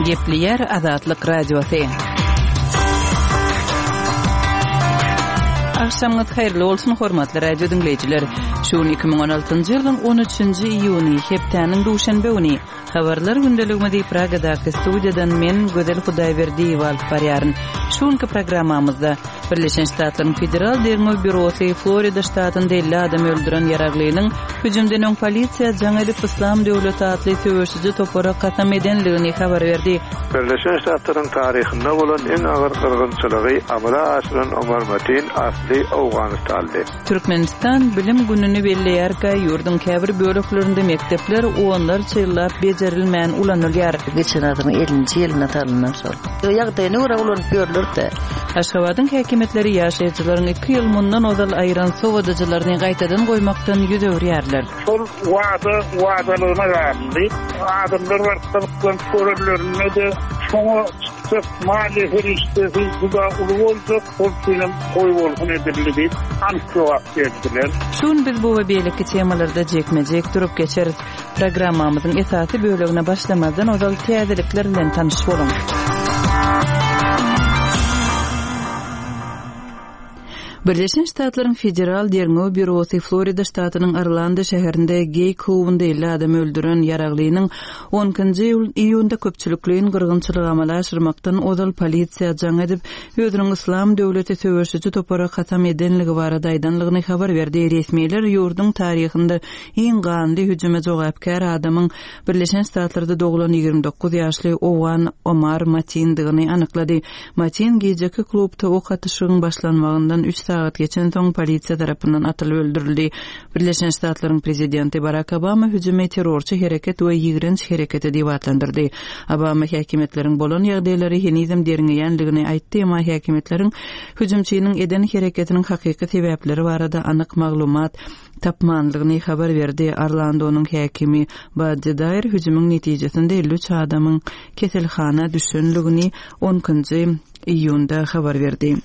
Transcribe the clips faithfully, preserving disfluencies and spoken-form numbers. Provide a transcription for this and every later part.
Gepleýär Azatlyk Radiosy. Agşamyňyz haýyrly bolsun, hormatly radio diňleýjiler. Şu gün iki müň on altynjy ýylyň on üçünji iýuny, hepdäniň duşenbe güni. Habarlar gündeligimizi Pragadaky studiýadan men, Gözel Hudaýberdiýewa alyp barýaryn. Şu günki programmamyzda Birleşen Ştatlaryň Federal derňew býurosy Florida ştatynda elli adam öldüren ýaraglynyň hüjümden öň polisiýa jaň edip Yslam döwleti atly söweşiji topara kasam edenligini habar berdi. Birleşen Ştatlaryň taryhynda bolan iň agyr gyrgynçylygy amala aşyran Omar Matin asly Owganystanly. Türkmenistan bilim gününi belleýärkä, ýurduň käbir böleklerinde mekdepler onlarça ýyllap bejerilmän ulanylýar. Geçen asyryň ellinji ýylynda salyndan şol. Ýagdaýyna görä ulanyp ýörler-de. Aşgabadyň häkimiýetleri ýaşaýjylaryň iki ýyl mundan ozal aýyran sowadyjylaryny gaýtadan goýmakdan ýüz öwürýärler. Şol wada wadalygyna galdy. Adamlar baryp gyzyklanyp görenlerinde-de şoňa çykjak maliýe serişdesi juda uly boljak, ol üçinem goý bolsun edildi diýip anyk jogap berdiler. Şu gün biz bu we beýleki temalarda jekme-jek durup geçeris. Programmamyzyň esasy bölegine başlamazdan ozal täzelikler bilen tanyş boluň. Birleşen Ştatlaryň Federal Derňew Býurosy Florida ştatynyň Orlando şäherinde geý klubunda elli adam öldüren ýaraglynyň on ikinji iýunda köpçülikleýin gyrgynçylygy amala aşyrmakdan ozal polisiýa jaň edip, özüniň Yslam döwleti söweşiji topara kasam edenligi barada aýdanlygyny habar berdi. Resmiler ýurduň taryhynda iň ganly hüjüme jogapkär adamyň Birleşen Ştatlarda doglan ýigrimi dokuz ýaşly Owgan Omar Matindigini anyklady. Matin gijeki klubda ok atyşygyň başlanmagyndan üç sagat geçen soň polisiýa tarapyndan atylyp öldürildi. Birleşen Ştatlaryň prezidenti Barack Obama hüjümi terrorçy hereket we ýigrenç hereketi diýip atlandyrdy. Obama häkimiýetleriň bolan ýagdaýlary henizem derňeýänligini aýtdy, emma häkimiýetleriň hüjümçiniň eden hereketiniň hakyky sebäpleri barada anyk maglumat tapmanlygyny habar berdi. Orlandonyň häkimi Buddy Dyer hüjümiň netijesinde elli üç adamyň keselhana düşenligini on ikinji iýunda habar berdi.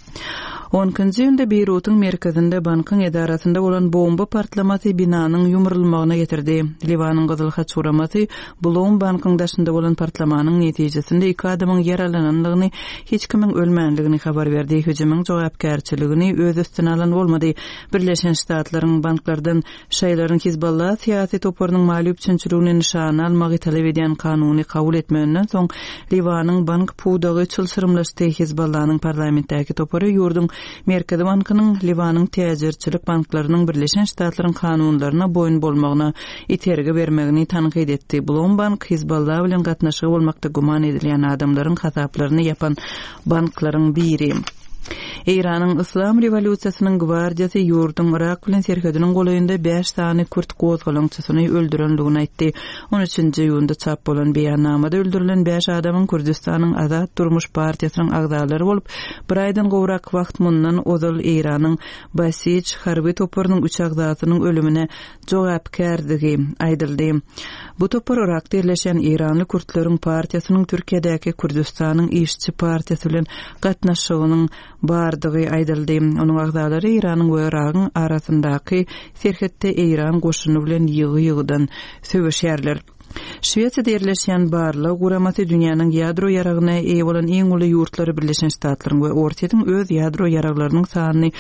On ikinji iýunda Beýrutyň merkezinde bankyň edarasynda bolan bomba partlamasy binanyň ýumrulmagyna getirdi. Liwanyň Gyzyl Haç guramasy Blom bankyň daşynda bolan partlamanyň netijesinde iki adamyň ýaralananlygyny, hiç kimiň ölmänligini habar berdi. Hüjümiň jogapkärçiligini öz üstüne alan bolmady. Birleşen Ştatlaryň banklardan şaýlaryň Hizballah syýasy toparynyň maliýe üpjünçiligini nyşana almagy talap edýän kanuny kabul etmeginden soň Liwanyň bank pudagy çylşyrymlaşdy. Hizballahnyň parlamentdäki topary ýurduň Merkezi bankynyň Liwanyň täjirçilik banklarynyň Birleşen Ştatlaryň kanunlaryna boýun bolmagyna itergi bermegini tankyt etdi. Blom bank Hizballah bilen gatnaşygy bolmakda güman edilýän adamlaryň hasaplaryny ýapan banklaryň biri. Eýranyň Yslam rewolýusiýasynyň gwardiýasy ýurduň Irak bilen serhediniň golaýynda bäş sany kürt gozgalaňçysyny öldürenligini aýtdy. On üçünji iýunda çap bolan beýannamada öldürilen bäş adamyň Kürdüstanyň Azat Durmuş partiýasynyň agzalary bolup, bir aýdan gowrak wagt mundan ozal Eýranyň Basij harby toparynyň üç agzasynyň ölümine jogapkärdigi aýdyldy. Bu topar Irakda ýerleşen Eýranly kürtleriň partiýasynyň Türkiýedäki Kürdüstanyň işçi partiýasy bilen gatnaşygynyň bardygy aýdyldy. Onuň agzalary Eýranyň we Iragyň arasyndaky serhetde Eýran goşuny bilen ýygy-ýygydan söweşýärler. Şwesiýada ýerleşýän barlag guramasy dünýäniň ýadro ýaragyna eýe bolan iň uly ýurtlary Birleşen Ştatlaryň we Orsýetiň öz ýadro ýaraglarynyň sanyny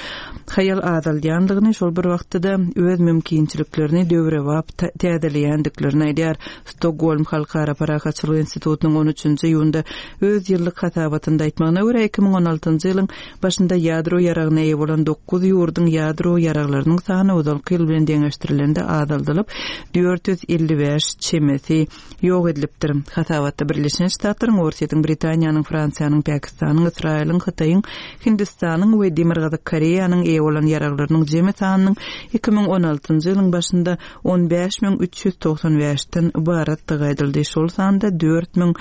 haýal azaldýandygyny, şol bir wagtda-da öz mümkinçiliklerini döwrebap täzeleýändiklerini aýdýar. Stokgolm Halkara Parahatçylyk Institutynyň on üçünji iýunda öz ýyllyk hasabatynda aýtmagyna görä, iki müň on altynjy ýylyň başynda ýadro ýaragyna eýe bolan dokuz ýurduň ýadro ýaraglarynyň sany ozalky ýyl bilen deňeşdirilende azaldylyp, dört ýüz elli bäş çemesi ýok edilipdir. Hasabatda Birleşen Ştatlaryň, Orsýetiň, Britaniýanyň, Fransiýanyň, Pakistanyň, Ysraýylyň, Hytaýyň, Hindistanyň we Demirgazyk Koreýanyň eýe bolan ýaraglarynyň jemi sanynyň iki müň on altynjy ýylyň başynda on bäş müň üç ýüz togsan bäşden ybaratdygy aýdyldy. Şol sanda dört müň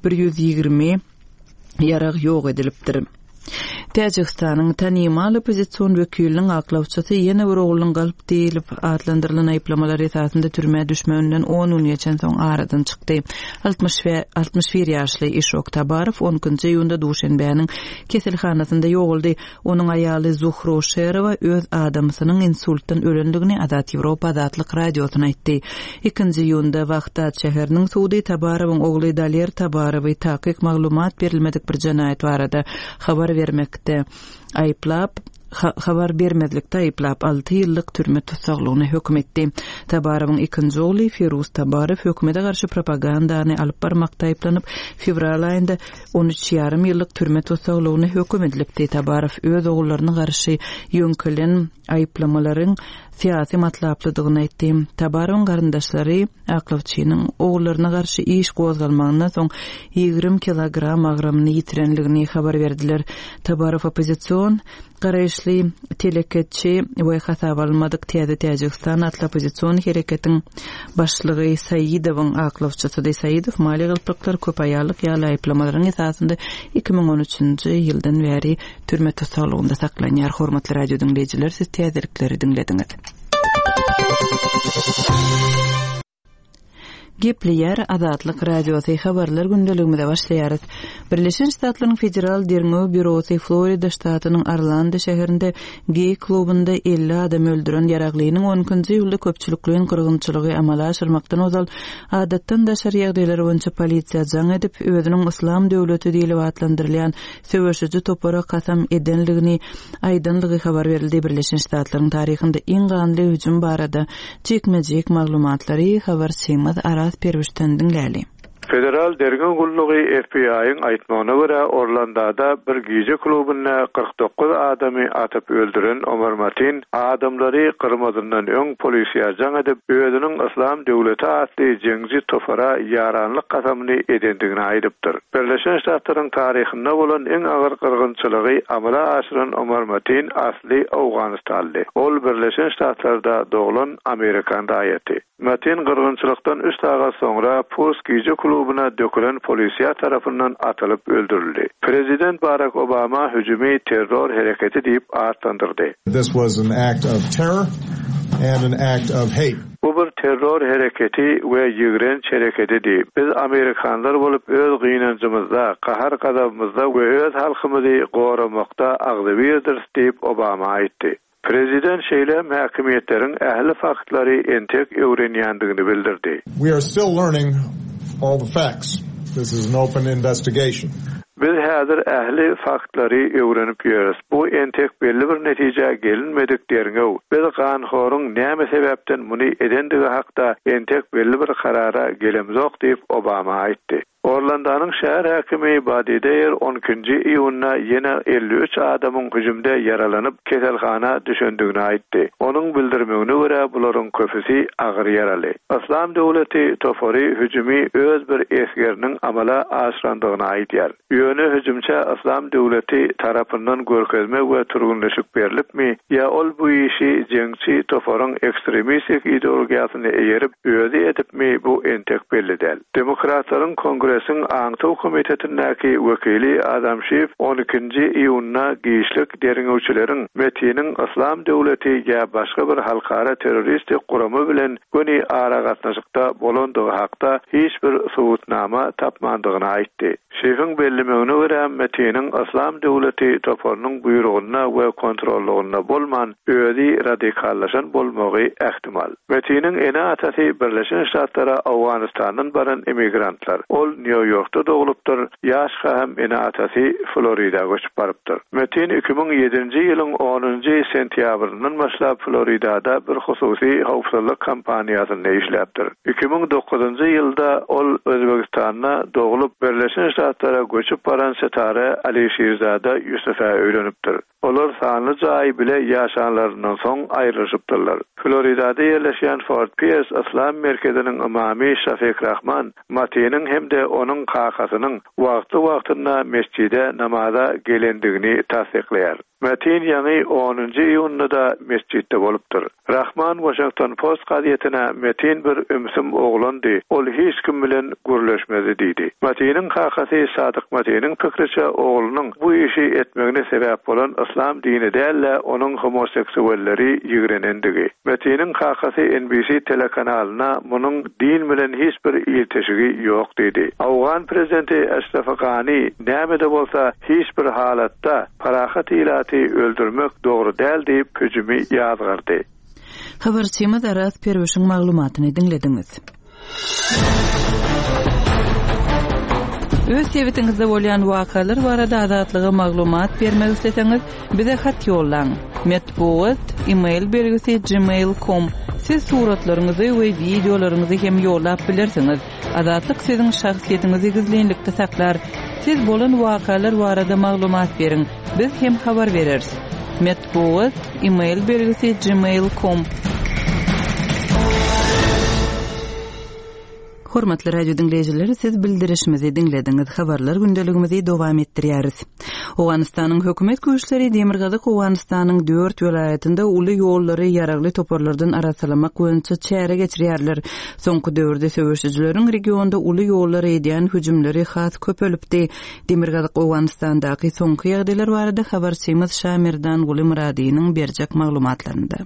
bir ýüz ýigrimi ýarag ýok edilipdir. Täjigistanyň tanymal oppozision wekiliniň aklawçysy ýene bir oglunyň galp diýlip atlandyrylan aýyplamalar esasynda türmä düşmeginden on gün geçen soň aradan çykdy. altmyş bir ýaşly Işok Tabarow on ikinji iýunda Duşenbäniň keselhanasynda ýogaldy. Onuň aýaly Zuhro Şerowa öz adamsynyň insultdan ölendigini Azat Ýewropa Azatlyk radiosyna aýtdy. Ikinji iýunda Wahdat şäheriniň sudy Tabarowyň ogly Daler Tabarowy takyk maglumat berilmedik bir jenaýat barada habar bermekde aýyplap, habar bermezlikde aýyplap alty ýyllyk türme tussaglygyna höküm etdi. Tabarowyň ikinji ogly Firuz Tabarow hökümete garşy propagandany alyp barmakda aýyplanyp, fewral aýynda on üç ýarym ýyllyk türme tussaglygyna höküm edilipdi. Tabarow öz ogullaryna garşy ýöňkelen aýyplamalaryň syýasy matlaplydygyny aýtdy. Tabarowyň garyndaşlary aklawçynyň ogullaryna garşy iş gozgalmagyndan soň ýigrimi kilogram agramyny ýitirenligini habar berdiler. Tabarow oppozision garaýyşly teleketçi we hasap alynmadyk Täze Täjigistan atly oppozision hereketiň başlygy Saidowyň aklawçysydy. Saidow maliýe galplyklar köp aýallyk ýaly aýyplamalaryň esasynda iki müň on üçünji ýyldan bäri türme tussaglygynda saklanýar. Hormatly radio diňleýjiler, siz täzelikleri diňlediňiz. Gepleýär Azatlyk Radiosy habarlar gündeligimize başlaýarys. Birleşen Ştatlaryň Federal Derňew Býurosy Florida ştatynyň Orlando şäherinde geý klubunda elli adam öldüren ýaraglynyň on ikinji iýulda köpçülikleýin gyrgynçylygy amala aşyrmakdan ozal adatdan daşary ýagdaýlar boýunça polisiýa jaň edip, özüniň Yslam döwleti diýlip atlandyrylýan söweşiji topara kasam edenligini aýdanlygy habar berildi. Birleşen Ştatlaryň taryhynda iň ganly hüjüm barada jikme-jik maglumatlary habarçymyz Araz Perwişden diňläli. Federal Derňew Gullugy F B I-iň aýtmagyna görä Orlandoda bir gije klubunda kyrk dokuz adamy atyp öldüren Omar Matin adamlary gyrmazyndan öň polisiýa jaň edip, özüniň Yslam döwleti atly jeňji topara ýaranlyk kasamyny edendigini aýdypdyr. Birleşen Ştatlaryň taryhynda bolan iň agyr gyrgynçylygy amala aşyran Omar Matin asly Owganystanly. Ol Birleşen Ştatlarda doglan Amerikan raýaty. Matin gyrgynçylykdan üç sagat soňra Pulse gije klubuna dökülen polisiýa tarapyndan atylyp öldürildi. Prezident Barack Obama hüjümi terror hereketi diýip atlandyrdy. This was an act of terror and an act of hate. Bu bir terror hereketi we ýigrenç hereketidi. Biz Amerikanlar bolup öz gynanjymyzda, gahar gazabymyzda we öz halkymyzy goramakda agzybirdir diýip Obama aýtdy. Prezident şeýle häkimiýetleriň ähli faktlary entek öwrenýändigini bildirdi. We are still learning all the facts. This is an open investigation. Biz häzir ähli faktlary öwrenip ýörüs. Bu entek belli bir netijä gelinmedik derňew. Biz ganhoryň näme sebäpden muny edendigi hakda entek belli bir karara gelemzok diýip Obama aýtdy. Orlandanyň şäher häkimi Badi Deýer on ikinji iýunda ýene elli üç adamyň hüjümde ýaralanyp keselhana düşendigini aýtdy. Onuň bildirmegine görä bularyň köpüsi agyr ýaraly. Yslam döwleti topary hüjümi öz bir esgeriniň amala aşyrandygyny aýdýar. Ýöne hüjümçe Yslam döwleti tarapyndan görkezme we türgünleşik berilipmi ýa ol bu işi jeňçi toparyň ekstremistik ideologiýasyny eýerip özi edipmi bu entek belli däl. Demokratlaryň kongresiň Aňtaw komitetindäki wekili Adam Schiff on ikinji iýunda giçlik derňewçileriň Metiniň Yslam döwleti ýa başga bir halkara terroristik gurama bilen göni aragatnaşykda bolandygy hakda hiç bir subutnama tapmandygyny aýtdy. Schiffiň bellemegine görä Metiniň Yslam döwleti toparynyň buýrugyna we kontrollygynda bolman özi radikallaşan bolmagy ähtimal. Metiniň ene-atasy Birleşen Ştatlara Owganystandan baran emigrantlar. Ol New Yorkda dogulupdyr, ýaşka hem ene-atasy Florida göçüp barypdyr. Metin iki müň ýedinji ýylyň onunjy sentýabryndan başlap Floridada bir hususy howpsuzlyk kompaniýasynda işläpdir. Iki müň dokuzynjy ýylda ol Özbegistanda dogulup Birleşen Ştatlara göçüp baran Setare Alişirzada Ýusufa öýlenipdir. Olar sanly jaý bile ýaşanlaryndan soň aýrylyşypdyrlar. Floridada ýerleşýän Fort Pierce Yslam merkeziniň imamy Şafik Rahman Matiniň hem-de onuň kakasynyň wagtly-wagtynda mesjide namaza gelendigini tassyklaýar. Matin ýaňy onunjy iýunda-da mesjitde bolupdyr. Rahman Washington Post gazetine Metin bir ümsüm oglandy, ol hiç kim bilen gürleşmedi diýdi. Matiniň kakasy Sadyk Matiniň pikiriçe oglunyň bu işi etmegine sebäp bolan yslam dini däl-de onuň homoseksualleri ýigrenendigi. Matiniň kakasy N B C telekanalyna munuň din bilen hiç bir ilteşigi ýok diýdi. Awgan prezidenti Eşref Gani näme-de bolsa hiç bir halatda parahat ilaty öldürmek dogry däl diýip hüjümi ýazgardy. Habarçymyz Araz Perwişiň maglumatyny diňlediňiz. Öz sebitiňizde bolýan wakalar barada Azatlyga maglumat bermek isleseňiz, bize hat ýollaň. Metbugat, e-mail belgisi gmail nokta com. Siz suratlaryňyzy we wideolaryňyzy hem ýollap bilersiňiz. Azatlyk siziň şahsyýetiňizi gizlinlikde saklar. Siz bolan wakalar barada maglumat beriň. Biz hem habar bereris. Metbugat, e-mail belgisi gmail nokta com. Hormatly radio dinleýjiler, siz bildirişimizi diňlediňiz. Habarlar gündeligimizi dowam etdirýäris. Owganystanyň hökümet güýçleri Demirgazyk Owganystanyň dört welaýatynda uly ýollary ýaragly toparlardan arassalamak boýunça çäre geçirýärler. Soňky döwürde söweşijileriň regionda uly ýollara edýän hüjümleri has köpelipdi. Demirgazyk Owganystandaky soňky ýagdaýlar barada habarçymyz Şamirdan Guli Muradynyň berjek maglumatlarynda.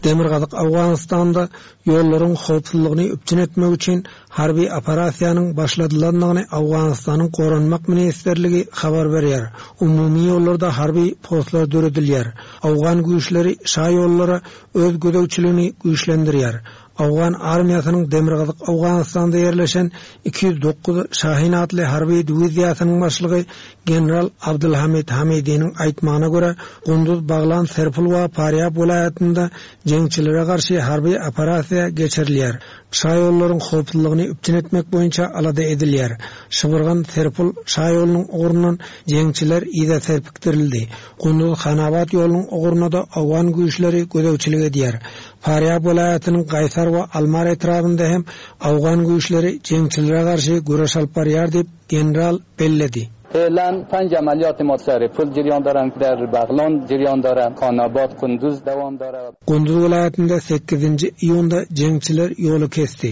Demirgazyk Owganystanda ýollaryň howpsuzlygyny üpjün etmek üçin harby operasiýanyň başladylandygyny Owganystanyň Goranmak Ministrligi habar berýär. Umumy ýollarda harby postlar döredilýär. Owgan güýçleri şa ýollara öz gözegçiligini güýçlendirýär. Owgan armiýasynyň Demirgazyk Owganystanda ýerleşen iki ýüz dokuz Şahin atly harby diwiziýasynyň başlygy General Abdulhamid Hamidiniň aýtmagyna görä, Gunduz, Baglan, Serpul we Parýab welaýatynda jeňçilere garşy harby operasiýa geçirilýär. Şa ýollaryň howpsuzlygyny üpjün etmek boýunça alada edilýär. Şybyrgan, Serpul şa ýolunyň ugrundan jeňçiler yza serpikdirildi. Gunduz, Hanabat ýolunyň ugruna da Owgan güýçleri gözegçilik edýär. Parýab welaýatynyň Gaýsar we Almar etrabynda hem Owgan güýçleri jeňçilere garşy göreş alyp barýar diýip general belledi. فعلا پنج عملیات ما سر پل جریان دارن، در بغلان جریان دارن، خاناباد، قندوز دوام داره. Gunduz welaýatynda sekizinji iýunda jeňçiler ýoly kesti.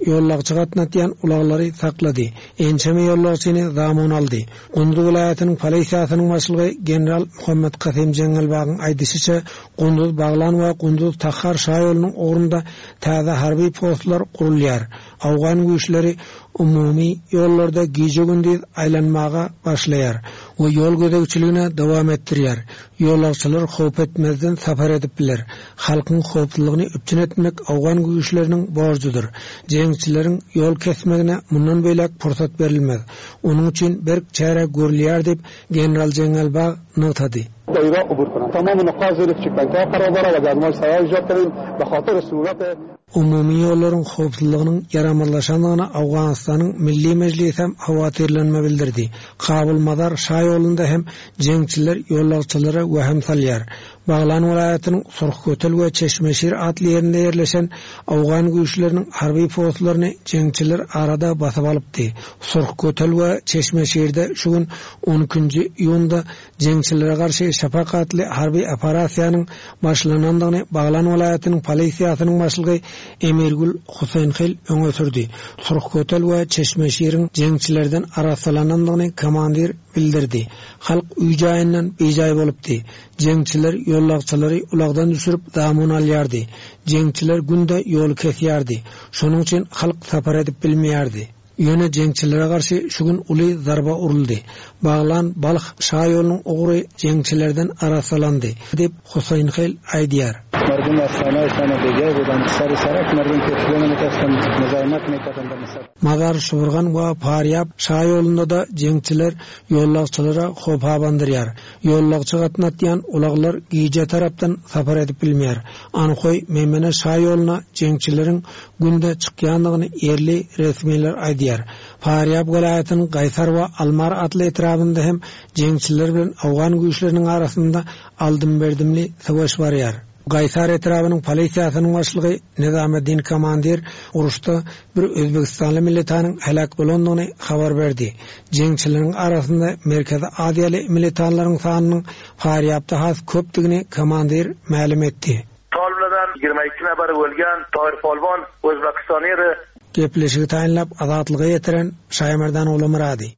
Ýollagçy gatnatýan ulaglary saklady. Ençeme ýollagçyny zamun aldy. Gunduz welaýatynyň polisiýasynyň başlygy general Muhammed Kasym Jeňňelbagyň aýdyşyça, Gunduz Baglan we Gunduz Tahar şa ýolunyň ugrunda täze harby postlar gurulýar. Awgan güýçleri umumy ýollarda gije-gündiz aýlanmaga başlaýar we ýol gözegçiligine dowam etdirýär. Ýolagçylar howp etmezden safar edip biler. Halkyň howpsuzlygyny üpjün etmek Awgan güýçleriniň borjudyr. Jeňçileriň ýol kesmegine mundan beýläk pursat berilmez. Onuň üçin berk çäre görülýär diýip general Jeňňelbag nygtady. دایره عبور کنند. تمام نقاط زیر چکپنت ها قرار داره و گرمای سایه ایجاد کردیم به خاطر سهولت Umumy ýollaryň howpsuzlygynyň ýaramazlaşandygyna Awganystanyň Milli Mejlisi hem hawatirlenme bildirdi. Kabul Mazar şa ýolunda hem jeňçiler ýollagçylara wehim salýar. Baglan welaýatynyň Surhkötel we Çeşmeşir atly ýerinde ýerleşen Awgan güýçleriniň harby postlaryny jeňçiler arada basyp alypdy. Surhkötel we Çeşmeşirde şu gün on ikinji iýunda jeňçilere garşy Şafak atly harby operasiýanyň başlanandygyny Baglan welaýatynyň polisiýasynyň başlygy Emirgül Huseýnhil öňe sürdi. Surhkötel we Çeşmeşiriň jeňçilerden arassalanandygyny komandir bildirdi. Halk uý-jaýyndan bejaý bolupdy. Jeňçiler ýollagçylary ulagdan düşürip zamun alýardy. Jeňçiler günde ýol kesýärdi. Şonuň üçin halk safar edip bilmeýärdi. Ýöne jeňçilere garşy şu gün uly zarba uruldy. Baglan Balh şa ýolunyň ugry jeňçilerden arassalandy diýip Huseýnhil aýdýar. Mardum asana isana bejaý bolan sary sarak mardum ketgeni mutasam muzaýmat mekatanda misal. Mazar Şurgan we Parýab şa ýolunda da jeňçiler ýollagçylara howp abandyrýar. Ýollagçy gatnatýan ulaglar gije tarapdan safar edip bilmeýär. Anhoý Meymene şa ýoluna jeňçileriň günde çykýandygyny ýerli resmiler aýdýar. Parýab welaýatynyň Gaýsar we Almar atly etrabynda hem jeňçiler bilen Awgan güýçleriniň arasynda aldym-berdimli savaş barýar. Gaýsar etrabynyň polisiýasynyň başlygy Nizameddin Komandir uruşda bir Özbegistanly militanyň helak bolandygyny habar berdi. Jeňçileriň arasynda Merkezi Aziýaly militanlaryň sanynyň Farýapda has köpdügini komandir mälim etdi. Toliblardan ýigrimi iki nafar o'lgan, Tohir Polvon O'zbekistoniri Gepleşigi taýynlap Azatlyga ýetiren Şaýmerdan Ogulmyrady.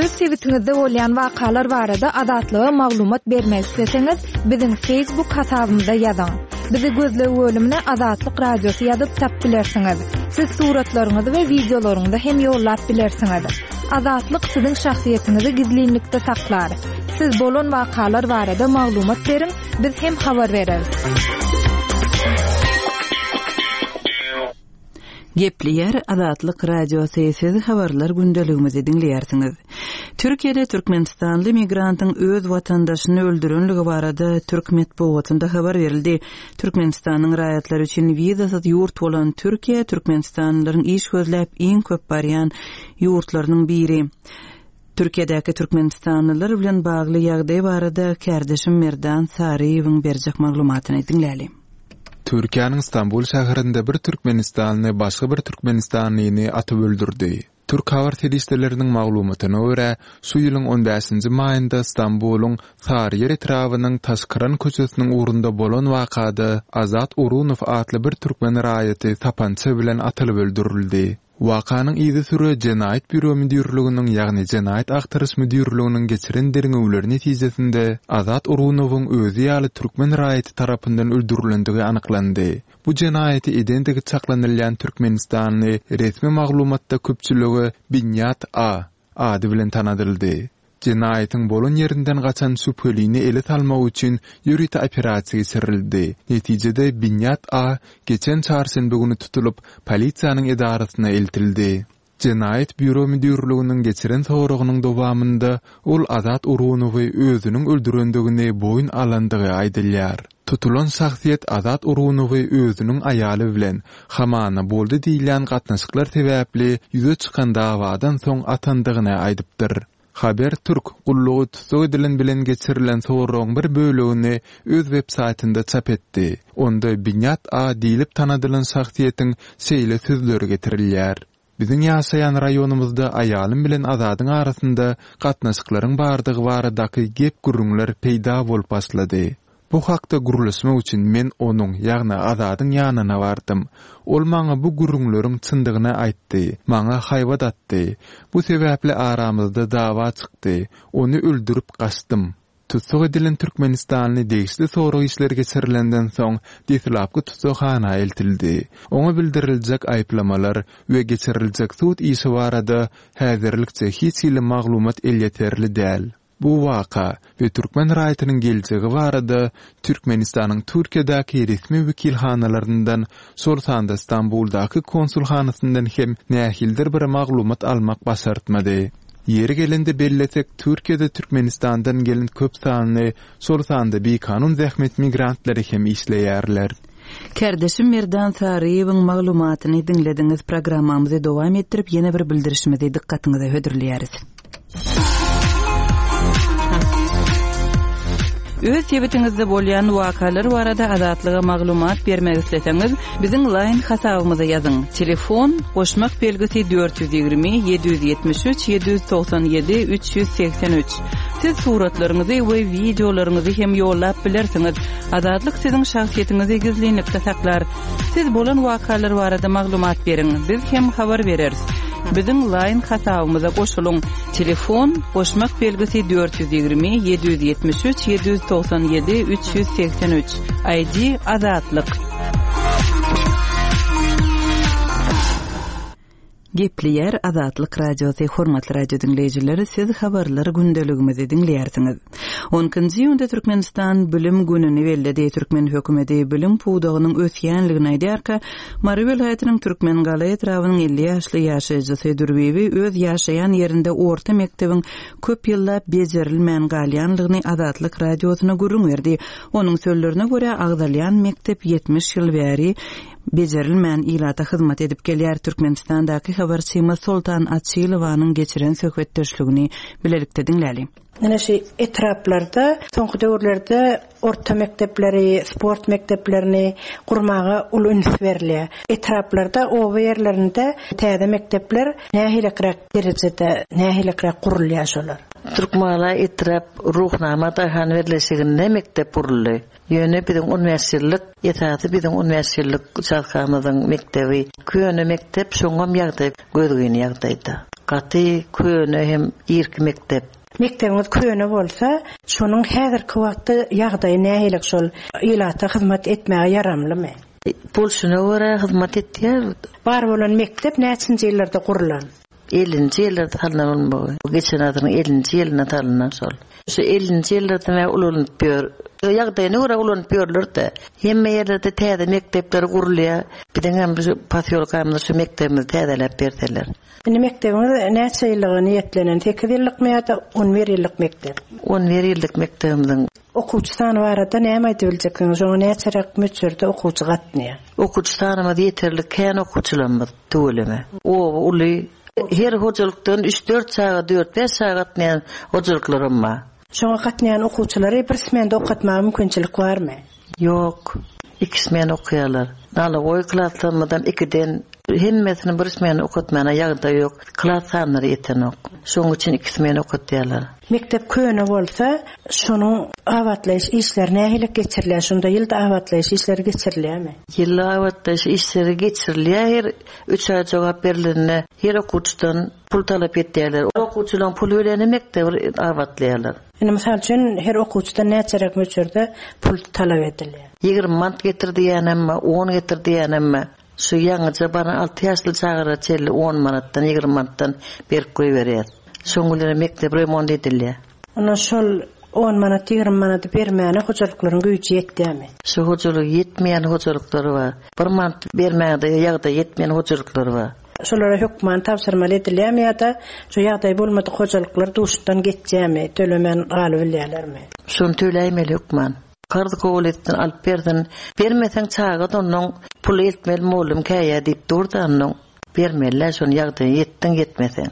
Öz sebitiňizde bolýan wakalar barada Azatlyga maglumat bermek isleseňiz, biziň Facebook hasabymyza ýazyň. Bizi gözleg bölümine Azatlyk Radiosy ýazyp tap bilersiňiz. Siz suratlaryňyzy we wideolaryňyzy hem ýollap bilersiňiz. Azatlyk siziň şahsyýetiňizi gizlinlikde saklar. Siz bolan wakalar barada maglumat beriň, biz hem habar bereris. Gepleýär Azatlyk Radiosy, siz habarlar gündeligimizi diňleýärsiňiz. Türkiýede Türkmenistanly migrantyň öz watandaşyny öldürenligi barada türk metbugatynda habar berildi. Türkmenistanyň raýatlary üçin wizasyz ýurt bolan Türkiýe Türkmenistanlylaryň iş gözläp iň köp barýan ýurtlarynyň biri. Türkiýedäki Türkmenistanlylar bilen bagly ýagdaý barada kärdeşim Merdan Saryýewiň berjek maglumatyny diňläli. Türkiýäniň Stambul şäherinde bir Türkmenistanly başga bir Türkmenistanlyny atyp öldürdi. Türk habar serişdeleriniň maglumatyna görä, şu ýylyň on bäşinji maýynda Stambulyň Saryýer etrabynyň Taşkyran köçesiniň ugrunda bolan wakada Azat Urunow atly bir türkmen raýaty tapança bilen atylyp öldürildi. Wakanyň yzy süre Jenaýat Býuro müdirliginiň, ýagny Jenaýat Agtaryş müdirliginiň geçiren derňewleri netijesinde Azat Urunowyň özi ýaly türkmen raýaty tarapyndan öldürilendigi anyklandy. Bu jenaýaty edendigi çaklanylýan Türkmenistanly resmi maglumatda köpçüligi Binýat A ady bilen tanadyldy. Jenaýatyň bolan ýerinden gaçan şübhelini ele salmak üçin ýörite operasiýa geçirildi. Netijede Binýat A geçen çarşenbe günü tutulyp, polisiýanyň edarasyna eltildi. Jenaýat Býuro müdirliginiň geçiren soragynyň dowamynda ol Azat Urunowy özüniň öldürendigini boýun alandygy aýdylýar. Tutulan şahsyýet Azat Urunowy özüniň aýaly bilen hamana boldy diýilýän gatnaşyklar sebäpli ýüze çykan dawadan soň atandygyny aýdypdyr. Haber Türk gullugy tussag edilen bilen geçirilen soragyň bir bölegini öz web saýtynda çap etdi. Onda Binýat A diýlip tanadylan şahsyýetiň şeýle sözleri getirilýär. Biziň ýaşaýan raýonymyzda aýalym bilen Azadyň arasynda gatnaşyklaryň bardygy baradaky gep gürrüňler peýda bolup başlady. Bu hakda gürleşmek üçin men onuň, ýagny Azadyň ýanyna bardym. Ol maňa bu gürrüňleriň çyndygyny aýtdy, maňa haýbat atdy. Bu sebäpli aramyzda dawa çykdy. Ony öldürip gaçdym. Tussag edilen Türkmenistanly degişli sorag işleri geçirilenden soň deslapky tussaghana eltildi. Oňa bildiriljek aýyplamalar we geçiriljek sud işi barada häzirlikçe hiç hili maglumat elýeterli däl. Bu waka we türkmen raýatynyň geljegi barada Türkmenistanyň Türkiýedäki resmi wekilhanalaryndan, şol sanda Stambuldaky konsulhanasyndan hem nähilidir bir maglumat almak başartmady. Ýeri gelende bellesek, Türkiýede Türkmenistandan gelen köp sanly, şol sanda bikanun zähmet migrantlary hem işleýärler. Kärdeşim Merdan Saryýewiň maglumatyny diňlediňiz. Programmamyzy dowam etdirip, ýene bir bildirişimizi dykgatyňyza hödürleýäris. Öz sebitiňizde bolýan wakalar barada Azatlyga maglumat bermek isleseňiz, biziň line hasabymyza ýazyň. Telefon goşmak belgisi dört ýüz ýigrimi ýedi ýüz ýetmiş üç ýedi ýüz togsan ýedi üç ýüz segsen üç. Siz suratlaryňyzy we wideolaryňyzy hem ýollap bilersiňiz. Azatlyk siziň şahsyýetiňizi gizlinlikde saklar. Siz bolan wakalar barada maglumat beriň, biz hem habar bereris. Biziň line hasabymyza goşulyň. Telefon goşmak belgisi dört ýüz ýigrimi ýedi ýüz ýetmiş üç ýedi ýüz togsan ýedi üç ýüz segsen üç. I D Azatlyk. Gepleýär Azatlyk Radiosy, hormatly radio diňleýjileri, siz habarlar gündeligimizi diňleýärsiňiz. On ikinji iýunda Türkmenistan bilim gününi belledi. Türkmen hökümeti bilim pudagynyň ösýänligini aýdýarka, Mary welaýatynyň Türkmengala etrabynyň elli ýaşly ýaşaýjysy Dürbibi öz ýaşaýan ýerinde orta mekdebiň köp ýyllap bejerilmän galýanlygyny Azatlyk Radiosyna gürrüň berdi. Onuň sözlerine görä, agzalýan mekdep ýetmiş ýyl bäri bejerilmän ilata hyzmat edip gelýär. Türkmenistandaky habarçymyz Soltan Açylowanyň geçiren söhbetdeşligini bilelikde diňläli. Ine şu etraplarda soňky döwürlerde orta mekdepleri, sport mekdeplerini gurmaga uly üns berilýär. Etraplarda, oba ýerlerinde täze mekdepler nähiliräk derejede, nähiliräk gurulýar şolar? Türkmala etrap Ruhnama daýhan birleşiginde mekdep guruldy. Ýöne biziň on bäş ýyllyk, esasy biziň on bäş ýyllyk uçastkamyzyň mekdebi köne mekdep, şoňam ýagdaý gözgyny ýagdaýda. Gaty köne hem irki mekdep. Mekdebiňiz köne bolsa, şonuň häzirki wagtda ýagdaýy nähili şol ilata hyzmat etmäge ýaramlymy? Bolşuna görä hyzmat etýär. Bar bolan mekdep näçinji ýyllarda gurulan? Ellinji ýyllarda salynan bolmagy. Geçen asyryň ellinji ýylynda salynan şol. Şu ellinji ýyllarda mä ulanyp ýör. Ýagdaýyna görä ulanyp ýörler-de. Hemme ýerlerde täze mekdepler gurulýar. Biziň hem şu posýolkamyzda şu mekdebimizi täzeläp berseler. Indi mekdebiňiz näçe ýyllyga niýetlenen? Sekiz ýyllykmy ýa-da on bir ýyllyk mekdep? On bir ýyllyk mekdebimiziň. Okuwçy sany barada näme aýdyp biljeksiňiz? Şoňa näçeräk möçberde okuwçy gatnaýar? Okuwçy sanymyz ýeterlik, kän okuwçylarymyz tüweleme. Oba uly, her hojalykdan üç-dört çaga, dört-bäş çaga gatnaýan hojalyklarym bar. Şoňa gatnaýan okuwçylary bir smende okatmaga mümkinçilik barmy? Ýok. Iki smen okaýarlar. Nalagoý klaslarymyzdan ikiden hemmesini bir smen okatmana ýagdaý ýok. Klas sanlary ýetenok. Şonuň üçin iki smen okatýarlar. Mekdep köne bolsa, şonuň abatlaýyş işleri nähili geçirilýär? Şunda ýylda abatlaýyş işleri geçirilýärmi? Ýylda abatlaýyş işleri geçirilýär. Her üç aý jogap berilende her okuwçydan pul talap etýärler. Okuwçylaryň pul bereni mekdebi abatlaýarlar. Indi mysal üçin her okuwçydan näçeräk möçberde pul talap edilýär? Ýigrimi manat getir diýenem, on getir diýenem. Şu ýaňyja bana alty ýaşly çagalara çenli on manatdan, ýigrimi manatdan berip goýberýär. Şoň bilen mekdep remont edilýär. Onda şol on manat, ýigrimi manat bermäne hojalyklaryň güýji ýetýärmi? Şu hojalyk ýetmeýän hojalyklary bar. Bir manat bermäge ýagdaý ýetmeýän hojalyklary bar. Şolara hökman tabşyrmaly edilýärmi ýa-da şu ýagdaý bolmadyk hojalyklar duşdan geçýärmi, tölemän galyp bilýärlermi? Şony töläýmeli hökman. Karz kabul etsin, alyp bersin. Bermeseň çaga ondan pul eltmeli mugallym käýä diýip durdy ondan. Bermeliler şony ýagdaýy ýetdiň ýetmeseň.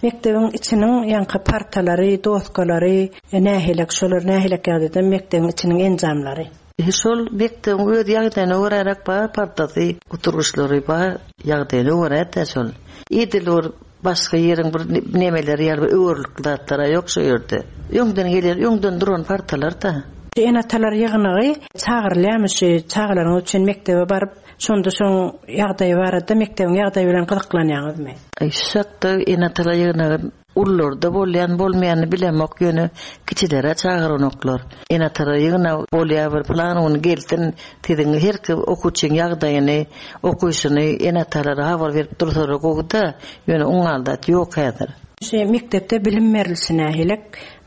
Mekdebiň içiniň ýaňky partalary, doskalary, nähilek şolar nähilek ýagdaýda mekdebiň içiniň enjamlary? E, şol mekdebiň öz ýagdaýyna göräräk bar partasy, oturgyçlary bar, ýagdaýyna görä-de şol. Edil bir başga ýeriň bir nemeleri ýaly bir öwürlikli zatlar ýok şu ýerde. Öňden gelen, öňden duran partalar da. Ene-atalar ýygnagy çagyrylýarmy şu çagalaryň üçin mekdebe baryp, şonda şoň ýagdaýy barada mekdebiň ýagdaýy bilen gyzyklanýaňyzmy? Aý, şu şartda ene-atalar ýygnagy ullarda bolýan, bolmaýany bilemok, ýöne kiçilere çagyranoklar. Ene-atalar ýygnagy bolýar bir plan ony gelsin, siziň her kim okuwçyň ýagdaýyny, okuwyşyny ene-atalara habar berip dursalar gowy-da, ýöne oňaldat ýok häzir. Şu mekdepde bilim berilişi nähili?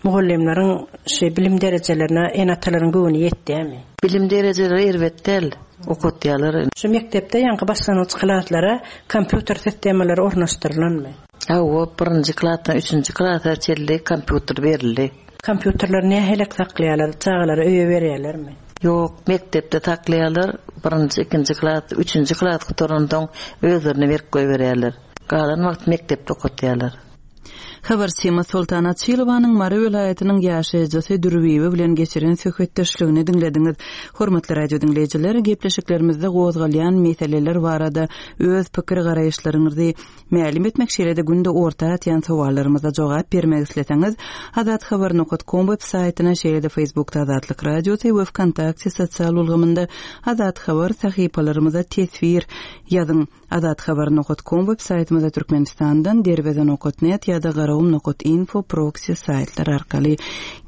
Mugallymlaryň şu bilim derejelerine ene-atalaryň göwni ýetýärmi? Bilim derejeleri erbet däl, okatýarlar. Şu mekdepde ýaňky başlangyç klaslara kompýuter sistemalary ornaşdyrylanmy? Hawa, birinji klasdan üçünji klasa çenli kompýuter berildi. Kompýuterler nähili saklaýarlar? Çagalara öýe berýärlermi? Ýok, mekdepde saklaýarlar. Birinji, ikinji klas, üçünji klas gutarandan özlerine berip goýberýärler. Galan wagt mekdepde okatýarlar. Habarçymyz Soltan Açylowanyň Mary welaýatynyň ýaşaýjysy Dürbibi bilen geçiren söhbetdeşligini diňlediňiz. Hormatly radio diňleýjiler, gepleşiklerimizde gozgalýan meseleler barada öz pikir garaýyşlaryňyzy mälim etmek şeýle-de günde orta atýan sowallarymyza jogap bermek isleseňiz, Azat Habar nokta com web saýtyna, şeýle-de Facebookda Azatlyk Radiosy we Vkontakte sosial ulgamynda Azat Habar sahypalarymyza teswir ýazyň. Azat Habar nokta com web saýtymyzda Türkmenistandan derweze nokta net ýa-da garagum nokta info proxy saýtlar arkaly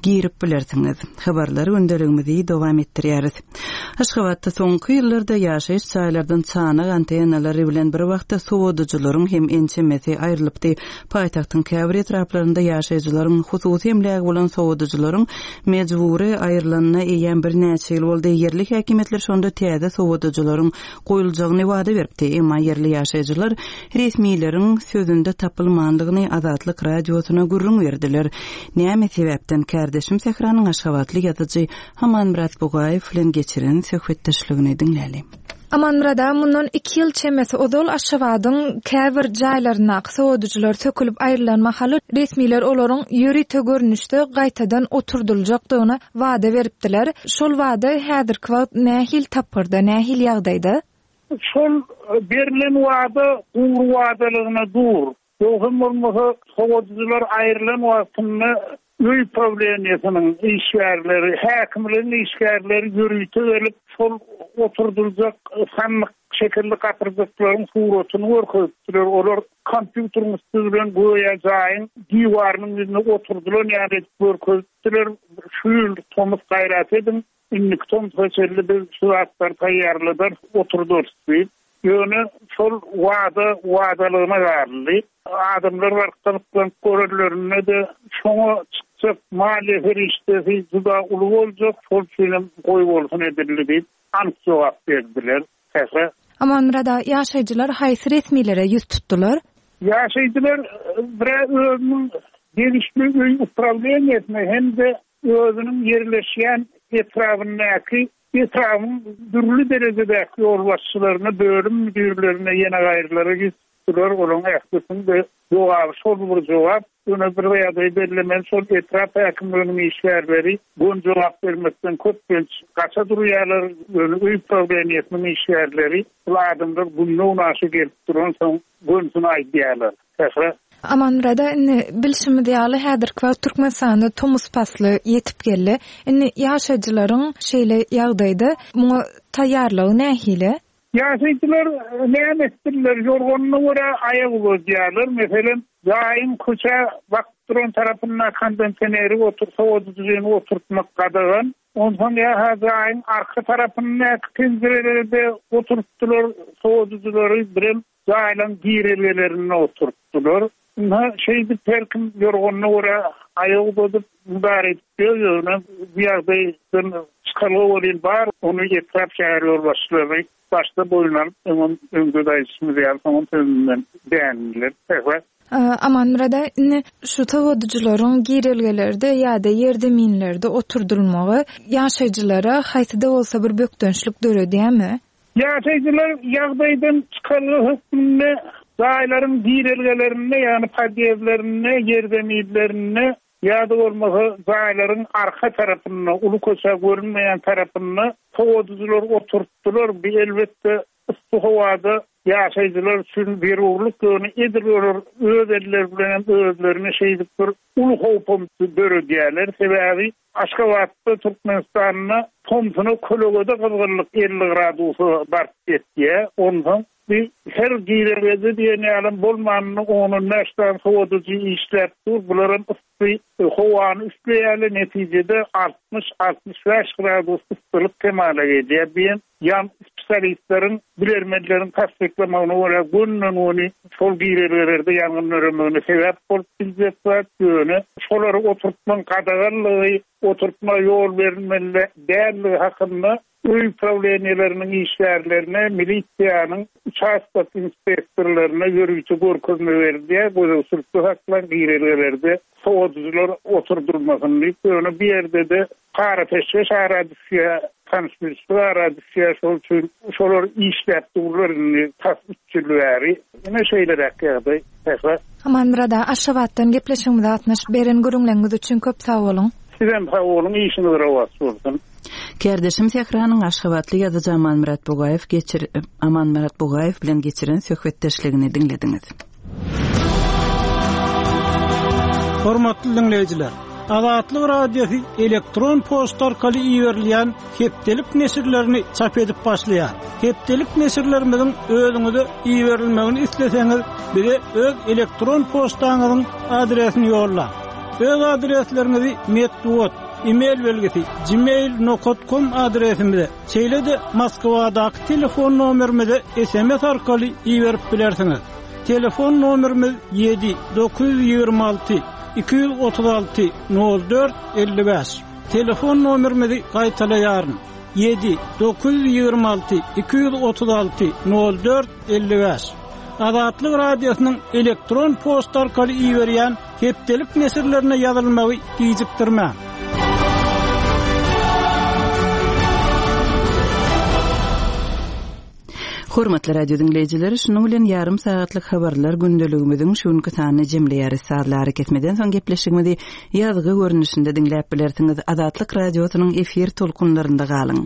girip bilersiňiz. Habarlar gündeligimizi dowam etdirýäris. Aşgabatda soňky ýyllarda ýaşaýyş jaýlardan çanak antennalary bilen bir wagtda sowadyjylaryň hem ençemesi aýrylypdy. Paýtagtyň käbir etraplarynda ýaşaýjylaryň hususy emlägi bolan sowadyjylaryň mejbury aýrylanyna eýýäm birnäçe ýyl boldy. Ýerli häkimiýetler şonda täze sowadyjylaryň goýuljagyny wada beripdi. Emma ýerli ýaşaýjylar resmileriň sözünde tapylmandygyny Azatlyk radiosyna gürrüň berdiler. Näme sebäpden kärdeşim Sähranyň Aşgabatly ýazyjy Amanmyrat Bugaýew bilen geçiren söhbetdeşligini diňläli. Amanmyrat aga, mundan iki ýyl çemesi ozal Aşgabadyň käbir jaýlaryndaky sowadyjylar sökülip aýrylan mahaly resmiler olaryň ýörite görnüşde gaýtadan oturdyljakdygyny wada beripdiler. Şol wada häzirki wagt nähili tapgyrda, nähili ýagdaýda? Şol berlen wada gury wadalygyna dur. Ýogsam bolmasa sowadyjylar aýrylan wagtynda öý prawleniýesiniň işgärleri, häkimligiň işgärleri ýörite gelip, şol oturdyljak sandyk şekilli gapyrjaklaryň suratyny görkezipdiler. Olar kompýuteriň üsti bilen göýä jaýyň diwarynyň ýüzüne oturdylan ýaly edip görkezipdiler. Şu ýyl tomus gaýrat ediň, indiki tomusa çenli biz şu zatlary taýýarladarys, oturdarys diýip. Ýöne şol wada wadalygyna galdy. Adamlar baryp gyzyklanyp görenlerinde-de şoňa çykjak maliýe serişdesi juda uly boljak, şol üçinem goý bolsun edildi diýip anyk jogap berdiler. Sähra. Amanmyrat aga, ýaşaýjylar haýsy resmilere ýüz tutdular? Ýaşaýjylar bir özüniň degişli öý uprawleniýesine hem-de özüniň ýerleşýän etrabyndaky etrabyň dürli derejedäki ýolbaşçylaryna, bölüm müdirlerine, ýene gaýrylara ýüz tutdular. Olaryň ählisiniň jogaby şol bir jogap. Ýöne bir ýagdaý bellemeli, şol etrap häkimliginiň işgärleri gön jogap bermekden köplenç gaça durýarlar. Ýöne öý prawleniýesiniň işgärleri bu adamlar günde-günaşa gelip duransoň gönsüni aýdýarlar. Sähra. Amanmyrat aga, indi bilşimiz ýaly, häzirki wagt Türkmenistanda tomus pasly ýetip geldi. Indi ýaşaýjylaryň şeýle ýagdaýda muňa taýýarlygy nähili? Ýaşaýjylar näme etdiler? Ýorganyna görä aýak uzadýarlar. Meselem, jaýyň köçä bakyp duran tarapynda kondisioneri otur, sowadyjyny oturtmak gadagan. Onsoň ýa-ha jaýyň arka tarapyndaky penjirelerde oturtdylar sowadyjylary, birem jaýlaryň girelgelerinde oturtdylar. Ynha, şeýdip her kim ýorganyna görä aýak uzadyp, müdahale edip ýör, ýöne bu ýagdaýdan çykalga welin bar, ony etrap şäher ýolbaşçylary başda boýun alyp, öňem öňde aýdyşymyz ýaly, soňam sözünden dändiler. Sähra. Amanmyrat aga, indi şu sowadyjylaryň girelgelerde ýa-da ýerzeminlerde oturdylmagy ýaşaýjylara haýsy-da bolsa bir bökdençlik döredýärmi? Ýaşaýjylar ýagdaýdan çykalga hökmünde jaýlaryň girelgelerinde, ýagny podýezdlerinde, ýerzeminlerinde ýa-da bolmasa jaýlaryň arka tarapynda, uly köçä görünmeýän tarapynda sowadyjylar oturtdylar. Bu elbetde yssy howada ýaşaýjylar üçin zerurlyk, ýöne edil olar öz elleri bilen hem özlerine şeýdip bir uly howpam döredýärler. Sebäbi Aşgabatda, Türkmenistanda tomsuna kölegede gyzgynlyk elli gradusa baryp ýetýär. Onsoň bir her girelgede diýen ýaly bolmanyny on bäş sany sowadyjy işläp dur. Bularam yssy howany üfleýärler. Netijede altmyş, altmyş bäş gradus yssylyk kemala gelýär. Diýen ýan spesialistleriň, bilermenleriň tassyklamagyna görä günden-güni şol girelgelerde ýangyn döremegine sebäp bolup biljek zat. Ýöne şolary oturtmagyň gadaganlygy, oturtma ýol berilmeli dälligi hakynda öý prawleniýeleriniň işgärlerine, milisiýanyň uçastok inspektorlaryna ýörite görkezme berilýär. Gözegçilikde saklan girelgelerde sowadyjylar oturdylmasyn diýip, ýöne bir ýerde-de para peşgeş ara düşýär, tanyş-bilişlik ara düşýär. Şol üçin şolar işläp durlar indi tas üç ýyl bäri. Ine şeýleräk ýagdaý. Sähra. Amanmyrat aga, Aşgabatdan gepleşigimize gatnaşyp beren gürrüňleriňiz üçin köp sag boluň. Sizem sag boluň, işiňiz rowaç bolsun. Kärdeşim Sähranyň Aşgabatly ýazyjy Amanmyrat Bugaýew geçir, Amanmyrat Bugaýew bilen geçiren söhbetdeşligini diňlediňiz. Hormatly dinleýjiler, Azatlyk Radiosy elektron poçta arkaly iberilýän hepdelik neşirlerini çap edip başlaýar. Hepdelik neşirlerimiziň özüňize iberilmegini isleseňiz, bize öz elektron poçtaňyzyň adresini ýollaň. Öz adresleriňizi metbugat, e-mail belgisi gmail nokta com adresimize, şeýle-de Moskwadaky telefon nomerimize S M S arkaly iberip bilersiňiz. Telefon nomerimiz ýedi dokuz ýüz ýigrimi alty iki ýüz otuz alty nol dört elli bäş. Telefon nomerimizi gaýtalaýaryn. Ýedi dokuz ýüz ýigrimi alty iki ýüz otuz alty nol dört elli bäş. Azatlyk Radiosynyň elektron poçta arkaly iberýän hepdelik neşirlerine ýazylmagy gijikdirmäň. Hormatly radio diňleýjiler, şunuň bilen ýarym sagatlyk habarlar gündeligimiziň şu günki sanyny jemleýäris. Sazly arakesmeden soň gepleşigimizi ýazgy görnüşinde diňläp bilersiňiz. Azatlyk radiosynyň efir tolkunlarynda galyň.